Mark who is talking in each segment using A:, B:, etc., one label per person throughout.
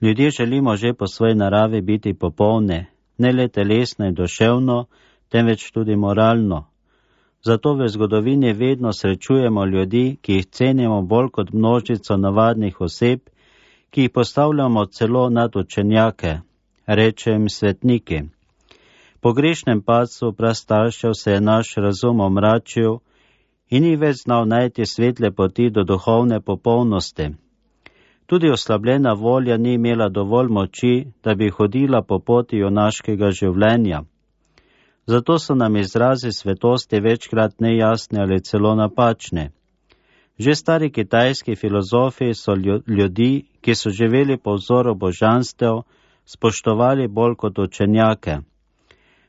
A: Ljudje želimo že po svoji naravi biti popolne, ne le telesno in duševno, temveč tudi moralno. Zato v zgodovini vedno srečujemo ljudi, ki jih cenimo bolj kot množico navadnih oseb, ki jih postavljamo celo nad učenjake, reče jim svetniki. Po grešnem padcu prastaršev se je naš razum omračil in ni več znal najti svetle poti do duhovne popolnosti. Tudi oslabljena volja ni imela dovolj moči, da bi hodila po poti junaškega življenja. Zato so nam izrazi svetosti večkrat nejasni ali celo napačni. Že stari kitajski filozofi so ljudi, ki so živeli po vzoru božanstev, spoštovali bolj kot učenjake.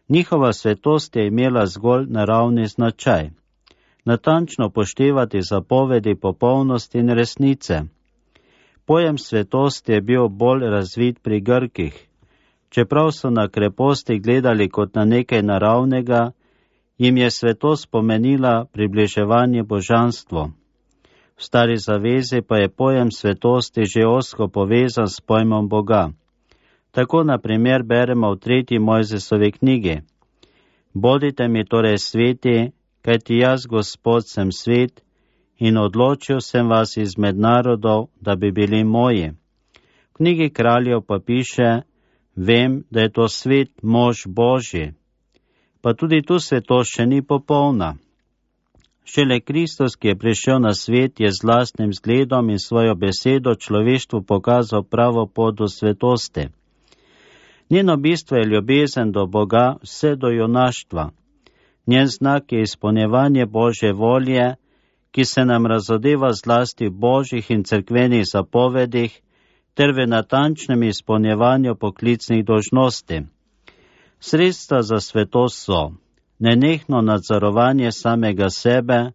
A: Njihova svetost je imela zgolj naravni značaj. Natančno poštevati zapovedi popolnosti in resnice. Pojem svetosti je bil bolj razvit pri Grkih. Čeprav so na kreposti gledali kot na nekaj naravnega, jim je svetost pomenila približevanje božanstvu. V stari zavezi pa je pojem svetosti že ozko povezan s pojmom Boga. Tako na primer beremo v 3. Mojzesovi knjigi. Bodite mi torej sveti, kajti jaz, Gospod, sem svet in odločil sem vas izmed narodov, da bi bili moji. V knjigi Kraljev pa piše, vem, da je to svet mož Božji. Pa tudi tu svetost še ni popolna. Šele Kristus, ki je prišel na svet, je z lastnim zgledom in svojo besedo človeštvu pokazal pravo pot do svetosti. Njeno bistvo je ljubezen do Boga vse do junaštva. Njen znak je izpolnjevanje Božje volje, ki se nam razodeva zlasti v božjih in cerkvenih zapovedih ter v natančnem izpolnjevanju poklicnih dolžnosti. Sredstva za svetost so nenehno nadzorovanje samega sebe,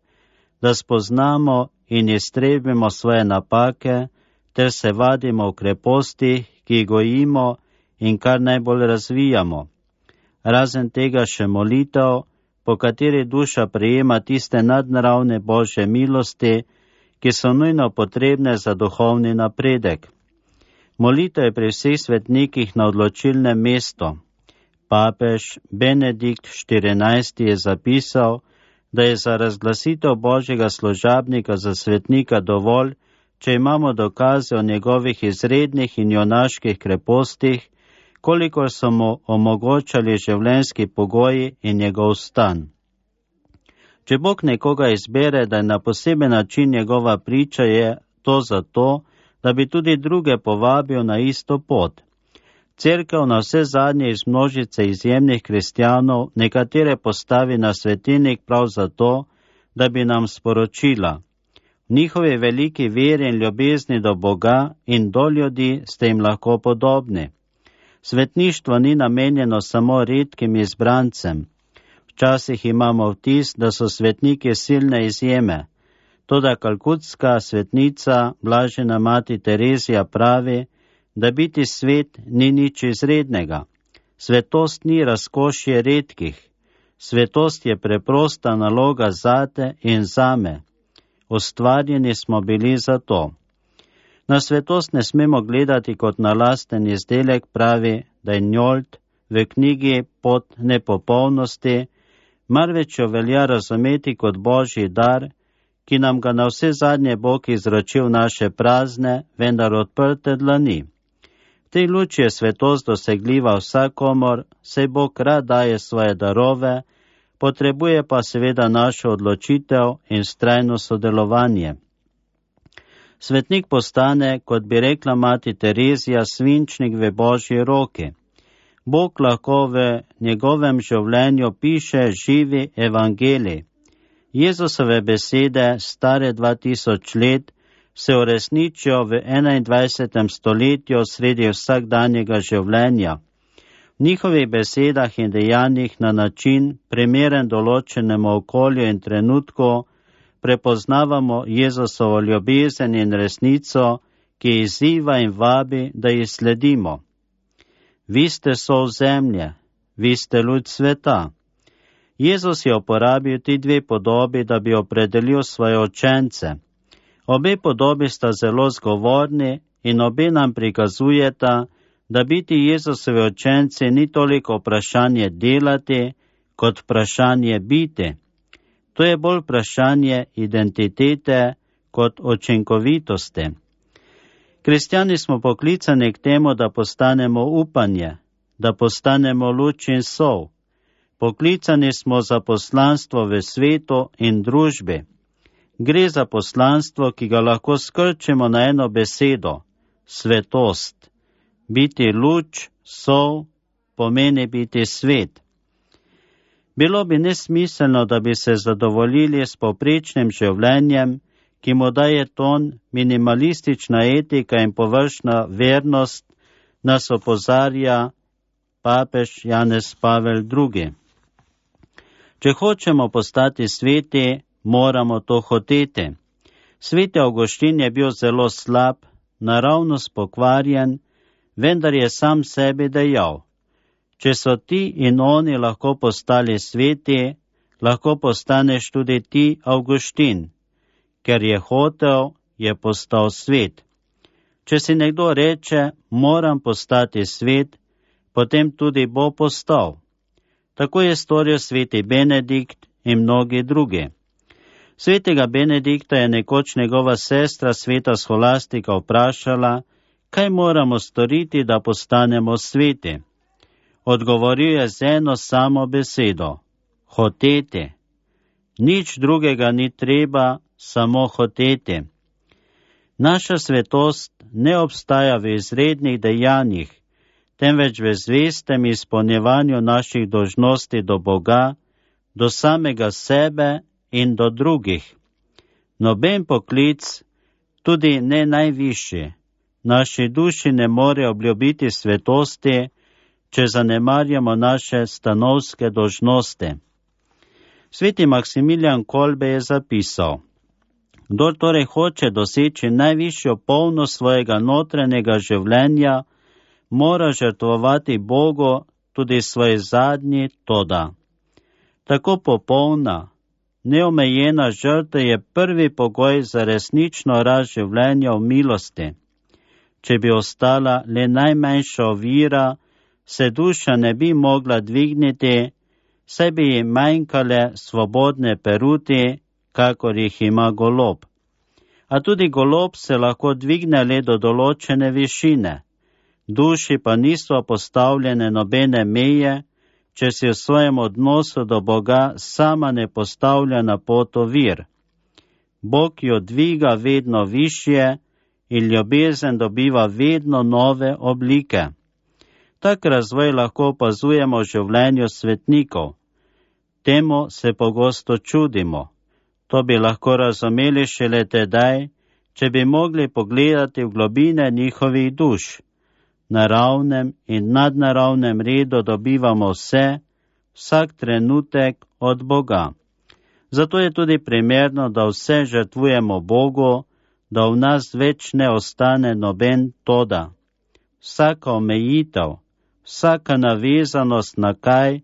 A: da spoznamo in iztrebimo svoje napake ter se vadimo v krepostih, ki jih gojimo in kar najbolj razvijamo. Razen tega še molitev, po kateri duša prejema tiste nadnaravne Božje milosti, ki so nujno potrebne za duhovni napredek. Molitev je pri vseh svetnikih na odločilnem mestu. Papež Benedikt XIV je zapisal, da je za razglasitev Božjega služabnika za svetnika dovolj, če imamo dokaze o njegovih izrednih in junaških krepostih, kolikor so mu omogočali življenjski pogoji in njegov stan. Če Bog nekoga izbere, da je na poseben način njegova priča, je to zato, da bi tudi druge povabil na isto pot. Cerkev na vse zadnje iz množice izjemnih kristjanov nekatere postavi na svetilnik prav zato, da bi nam sporočila. V njihovi veliki veri in ljubezni do Boga in do ljudi ste jim lahko podobni. Svetništvo ni namenjeno samo redkim izbrancem. Včasih imamo vtis, da so svetniki silne izjeme. Toda kalkutska svetnica, blažena mati Terezija, pravi, da biti svet ni nič izrednega. Svetost ni razkošje redkih. Svetost je preprosta naloga zate in zame. Ustvarjeni smo bili za to. Na svetost ne smemo gledati kot na lasten izdelek, pravi Dajnjold v knjigi Pot nepopolnosti, marveč jo velja razumeti kot Božji dar, ki nam ga na vse zadnje Bog izročil naše prazne, vendar odprte dlani. V tej luči je svetost dosegljiva vsakomor, saj Bog rad daje svoje darove, potrebuje pa seveda našo odločitev in vztrajno sodelovanje. Svetnik postane, kot bi rekla mati Terezija, svinčnik v Božji roki. Bog lahko v njegovem življenju piše živi evangelij. Jezusove besede, stare 2000 let, se uresničijo v 21. stoletju sredi vsakdanjega življenja. V njihovih besedah in dejanjih na način, primeren določenemu okolju in trenutku, prepoznavamo Jezusovo ljubezen in resnico, ki izziva in vabi, da jih sledimo. Vi ste sol zemlje, vi ste luč sveta. Jezus je uporabil ti dve podobi, da bi opredelil svoje učence. Obe podobi sta zelo zgovorni in obe nam prikazujeta, da biti Jezusovi učenci ni toliko vprašanje delati, kot vprašanje biti. To je bolj vprašanje identitete kot učinkovitosti. Kristjani smo poklicani k temu, da postanemo upanje, da postanemo luč in sol. Poklicani smo za poslanstvo v svetu in družbi. Gre za poslanstvo, ki ga lahko skrčimo na eno besedo – svetost. Biti luč, sol, pomeni biti svet. Bilo bi nesmiselno, da bi se zadovoljili s povprečnim življenjem, ki mu daje ton minimalistična etika in površna vernost, nas opozarja papež Janez Pavel II. Če hočemo postati sveti, moramo to hoteti. Sveti Avguštin je bil zelo slab, naravnost pokvarjen, vendar je sam sebi dejal: če so ti in oni lahko postali sveti, lahko postaneš tudi ti, Avguštin. Ker je hotel, je postal svet. Če si nekdo reče, moram postati svet, potem tudi bo postal. Tako je storil sveti Benedikt in mnogi drugi. Svetega Benedikta je nekoč njegova sestra, sveta Scholastika, vprašala, kaj moramo storiti, da postanemo sveti. Odgovoril je z eno samo besedo: hoteti. Nič drugega ni treba, samo hoteti. Naša svetost ne obstaja v izrednih dejanjih, temveč v zvestem izpolnjevanju naših dolžnosti do Boga, do samega sebe in do drugih. Noben poklic, tudi ne najvišji, naši duši ne more obljubiti svetosti, če zanemarjamo naše stanovske dolžnosti. Sveti Maksimilijan Kolbe je zapisal: kdor torej hoče doseči najvišjo polnost svojega notranjega življenja, mora žrtvovati Bogu tudi svoj zadnji toda. Tako popolna, neomejena žrtev je prvi pogoj za resnično rast življenja v milosti. Če bi ostala le najmanjša ovira, se duša ne bi mogla dvigniti, saj bi ji manjkale svobodne peruti, kakor jih ima golob. A tudi golob se lahko dvigne le do določene višine. Duši pa niso postavljene nobene meje, če si v svojem odnosu do Boga sama ne postavlja na pot ovir. Bog jo dviga vedno višje in ljubezen dobiva vedno nove oblike. Tak razvoj lahko opazujemo v življenju svetnikov. Temu se pogosto čudimo. To bi lahko razumeli šele tedaj, če bi mogli pogledati v globine njihovih duš. Na naravnem in nadnaravnem redu dobivamo vse, vsak trenutek od Boga. Zato je tudi primerno, da vse žrtvujemo Bogu, da v nas več ne ostane noben toda. Vsaka omejitev, vsaka navezanost na kaj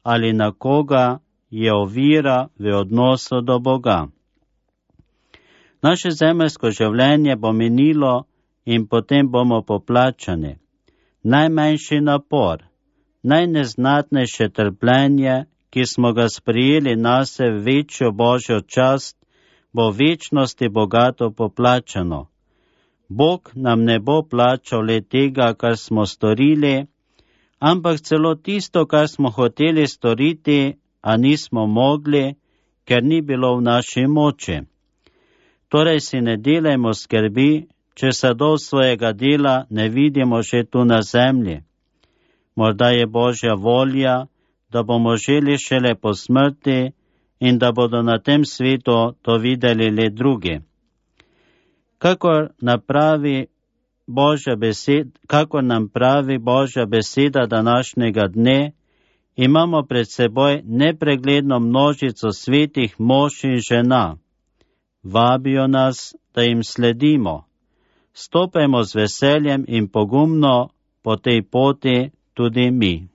A: ali na koga je ovira v odnosu do Boga. Naše zemeljsko življenje bo minilo in potem bomo poplačani. Najmanjši napor, najneznatnejše trpljenje, ki smo ga sprijeli nase v večjo Božjo čast, bo v večnosti bogato poplačano. Bog nam ne bo plačal le tega, kar smo storili, ampak celo tisto, kar smo hoteli storiti, a nismo mogli, ker ni bilo v naši moči. Torej si ne delajmo skrbi, če sadov svojega dela ne vidimo že tu na zemlji. Morda je Božja volja, da bomo želi šele po smrti in da bodo na tem svetu to videli le drugi. Kakor nam pravi Božja beseda današnjega dne, imamo pred seboj nepregledno množico svetih mož in žena. Vabijo nas, da jim sledimo. Stopajmo z veseljem in pogumno po tej poti tudi mi.